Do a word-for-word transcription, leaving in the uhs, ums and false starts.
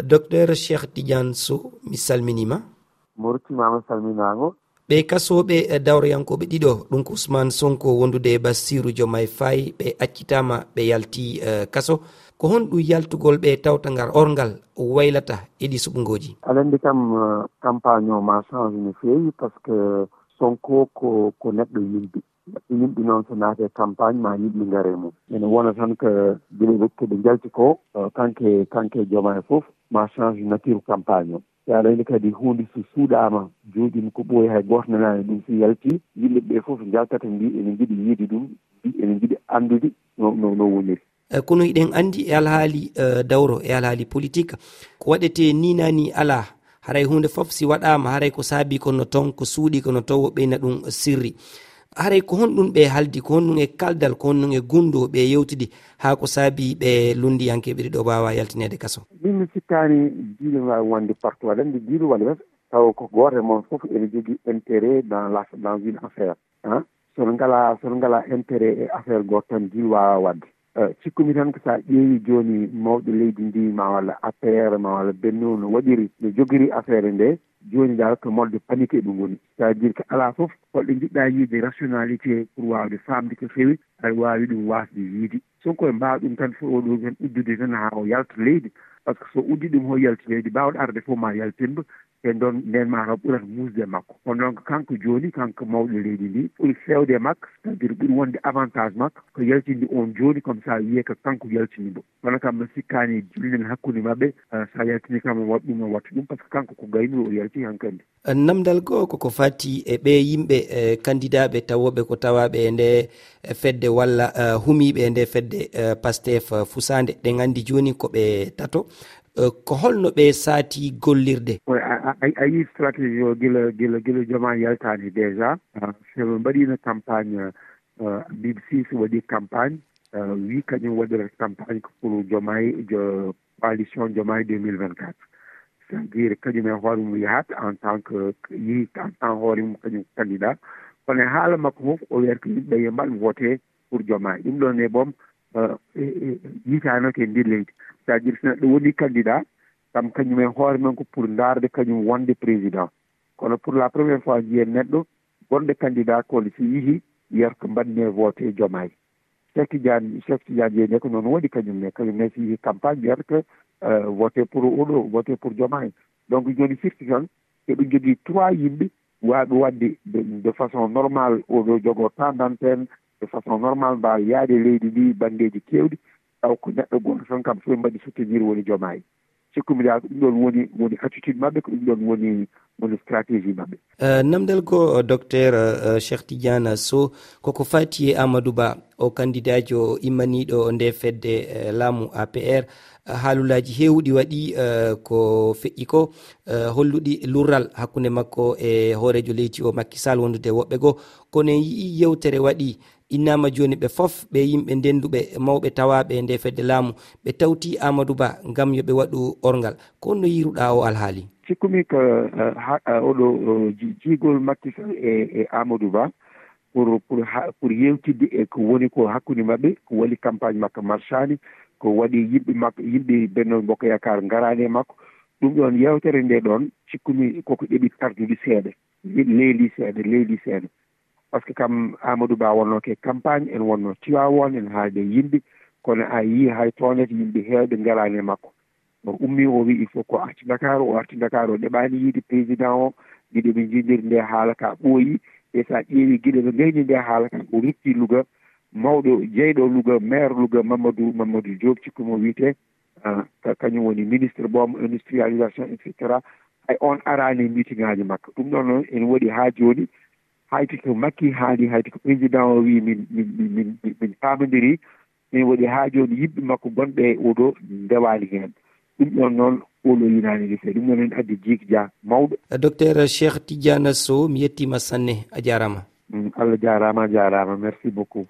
Docteur Cheikh Tidiane Sow, mi salminiima. Mortimaama salminaango. Ɓe kasooɓe, eh, dawroyankooɓe ɗiɗo, ɗum ko Ousmane Sonko wondude e Bassirou Diomaye Faye, ɓe accitaama, ɓe yalti, eh, kaso. Ko honɗum yaltugol ɓe tawta ngal orngal waylata e ɗi suɓngooji? Aɗa anndi kam, eh, campagne o ma change no feewi, parce que Sonko ko, ko neɗɗo yimɓe. Yimɓe noon so naate campagne ma yimɓe ngare mum. Ene wona tan ko gila rokkude njalti ko, eh, kanke, kanke Diomaye fof ma change nature campagne o. Yaade ene kadi huunde so suuɗaama, jooɗiima ko ɓooyi, hay gooto nanaani ɗum. So yalti, yimɓe ɓe fof njaltata, mbi ene njiɗi yiide ɗum, mbi ene njiɗi anndude no, no, no woniri. Eh, kono hiɗen anndi e alhaali, eh, dawro, e alhaali politik, ko waɗetee ni naa ni alaa. Haray huunde fof si waɗaama, haray ko saabii ko no toon, ko suuɗii ko no toon, o ɓeyna ɗum sirri. Haray ko honɗum ɓe haldi, ko honɗum e kaldal, ko honɗum e gunndoo ɓe yewtidi, haa ko saabii ɓe lunndiyankeeɓe ɗiɗo waawa yaltineede kaso? Min mi sikkaani diine waawi wonde partout, aɗa anndi diine walla wesa, tawa ko gooto e mon fof ene jogii intérêt dans la, dans une affaire, hein? So no ngalaa, so no ngalaa intérêt e affaire gooto tan, diine waawa waɗde. Eh, cikkumi tan ko so a ƴeewi jooni mawɗo leydi ndi, ma walla A P R, ma walla Benno no waɗiri, no jogiri affaire nde, jooni dal ko mode de panique eɓe ngoni. C'est-à-dire que alaa fof, holɗo njiɗɗa yiide rationalité pour waawde faamde ko fewi, aɗa waawi ɗum waasde yiide. Sonko e mbaawa ɗum tan, fof oɗo tan uddude tan haa o yalta leydi. Parce que so uddi ɗum, o yalti leydi, baawɗo arde fof ma yaltinɓe, e ndon, nden ma taw ɓurat muusde e makko. Kono noon ko kanko jooni, kanko mawɗo leydi ndi, ɓuri feewde e makko, c'est-à-dire ɓuri wonde avantage makko, ko yaltinde on jooni, comme ça wiyee ko kanko yaltini mo. Kono kam mi sikkaani dillen hakkunde maɓɓe, eh, so a yaltini kam o waɗa ɗum, o watta ɗum, parce que kanko ko gaynuɗo o yalti hankadi. Namdal goo koko fati e ɓee yimɓe, eh, kandidaaɓe tawooɓe ko tawaaɓe e nde, eh, fedde walla, eh, humiiɓe e nde fedde, eh, Pastef, eh, fusaande. Ɗen anndi jooni ko ɓe tato. Eh, ko holno ɓe saati gollirde? Ko a, a, a, a yii stratégie o gila, gila, gila Diomaye yaltaani déjà. Ah, so ɓe mbaɗiino campagne, eh, Habib Sy so waɗi campagne, eh, wii kañum waɗirata campagne ko pour Diomaye, jo-, coalition Diomaye deux mille vingt-quatre. C'est-à-dire kañum e hoore mum yahat en tant que, yii en tant hoore mum kañum candidat. Kono e haala makko fof o wiyata ko yimɓe yo mbaɗ voté pour Diomaye. Ɗum ɗon e boom, eh, eh, eh, yiitaano ko e nder leydi. C'est-à-dire so neɗɗo woni candidat, kam kañum e hoore mum ko pour ndaarde kañum wonde président. Kono pour la première fois njiyen neɗɗo gonɗo candidat ko si yihi wiyata ko mbaɗne voté Diomaye. Cheikh Tidiane, Cheikh Tidiane Dieng ko noon waɗi kañum ne, kañum ne si yihi campagne wiyata ko, eh, voté pour oɗo, voté pour Diomaye. Donc jooni firti tan eɓe jogii trois yimɓe waaɓe waɗde de, de façon normale, oɗo jogoo temps d'antenne, de façon normale mbaawa yaade leydi ndi banngeeji keewɗi, taw ko neɗɗo gooto tan kam fof mbaɗi soutenir woni Diomaye. Cikkumi dal ko ɗum ɗon woni, woni attitude maɓɓe, ko ɗum ɗon woni, woni stratégie maɓɓe. Eh, namdal goo, eh, Docteur, eh, Cheikh Tidiane Sow, koko fati e Amadou Ba, o kandidaajo immaniiɗo nde fedde, eh, laamu A P R. Eh, haalulaaji heewuɗi waɗi, eh, ko feƴƴi ko, eh, holluɗi lurral hakkunde makko e hooreejo leydi o Macky Sall wondude e woɓɓe goo. Kono en yi'i yewtere waɗi, innaama jooni ɓe fof, ɓe yimɓe ndennduɓe, mawɓe tawaaɓe e nde fedde laamu, ɓe tawti Amadou Ba ngam yo ɓe waɗu orngal. Ko honno yiiruɗaa o alhaali? Cikkumi ko, eh, ha, eh, oɗo, eh, ji-, jiigol Macky Sall e, e Amadou Ba pour, pour ha, pour yewtidde e ko woni ko hakkunde maɓɓe, ko waɗi campagne makko marchaani, ko waɗi yimɓe makko, yimɓe Benno Bokk Yaakaar ngaraani e makko. Ɗum ɗon yewtere nde ɗon, cikkumi koko ɗeɓi tardude seeɗa, leeli seeɗa, leeli seeɗa. Parce que kam Amadou Ba wonnoo ko e campagne, en wonnoo Tivaouane, en haalde e yimɓe, kono a yii hay toonete yimɓe heewɓe ngaraani e makko. O ummii, o wii il faut ko arti Dakar, o arti Dakar, o ɗeɓaani yiide président o, giɗo ɓe njiidiri nde haala ka ɓooyi, e so a ƴeewi giɗo ɓe ngayni nde haala ka, o rutti Louga, mawɗo jeyɗo Louga, maire Louga, Mamadou, Mamadou Diop, cikku mo wiyetee, ah, ka-, kañum woni ministre boom industrialisation, et cetera. Hay on araani e meeting aji makko. Ɗum ɗon noon ene waɗi haa jooni, hayti ko Macky haali, hayti ko président o wii min, min, min, min, min, min paamondirii, ene waɗi haa jooni yimɓe makko gonɓe e oɗo ndewaani heen. Ɗum ɗon noon oɗo yinaani ene seeɗa. Ɗum noon ene addi jiik ja mawɗo. Docteur Cheikh Tidiane Sow, mi yettiima sanne, a jaaraama. Mm, Allah jaaraama, a jaaraama. Merci beaucoup.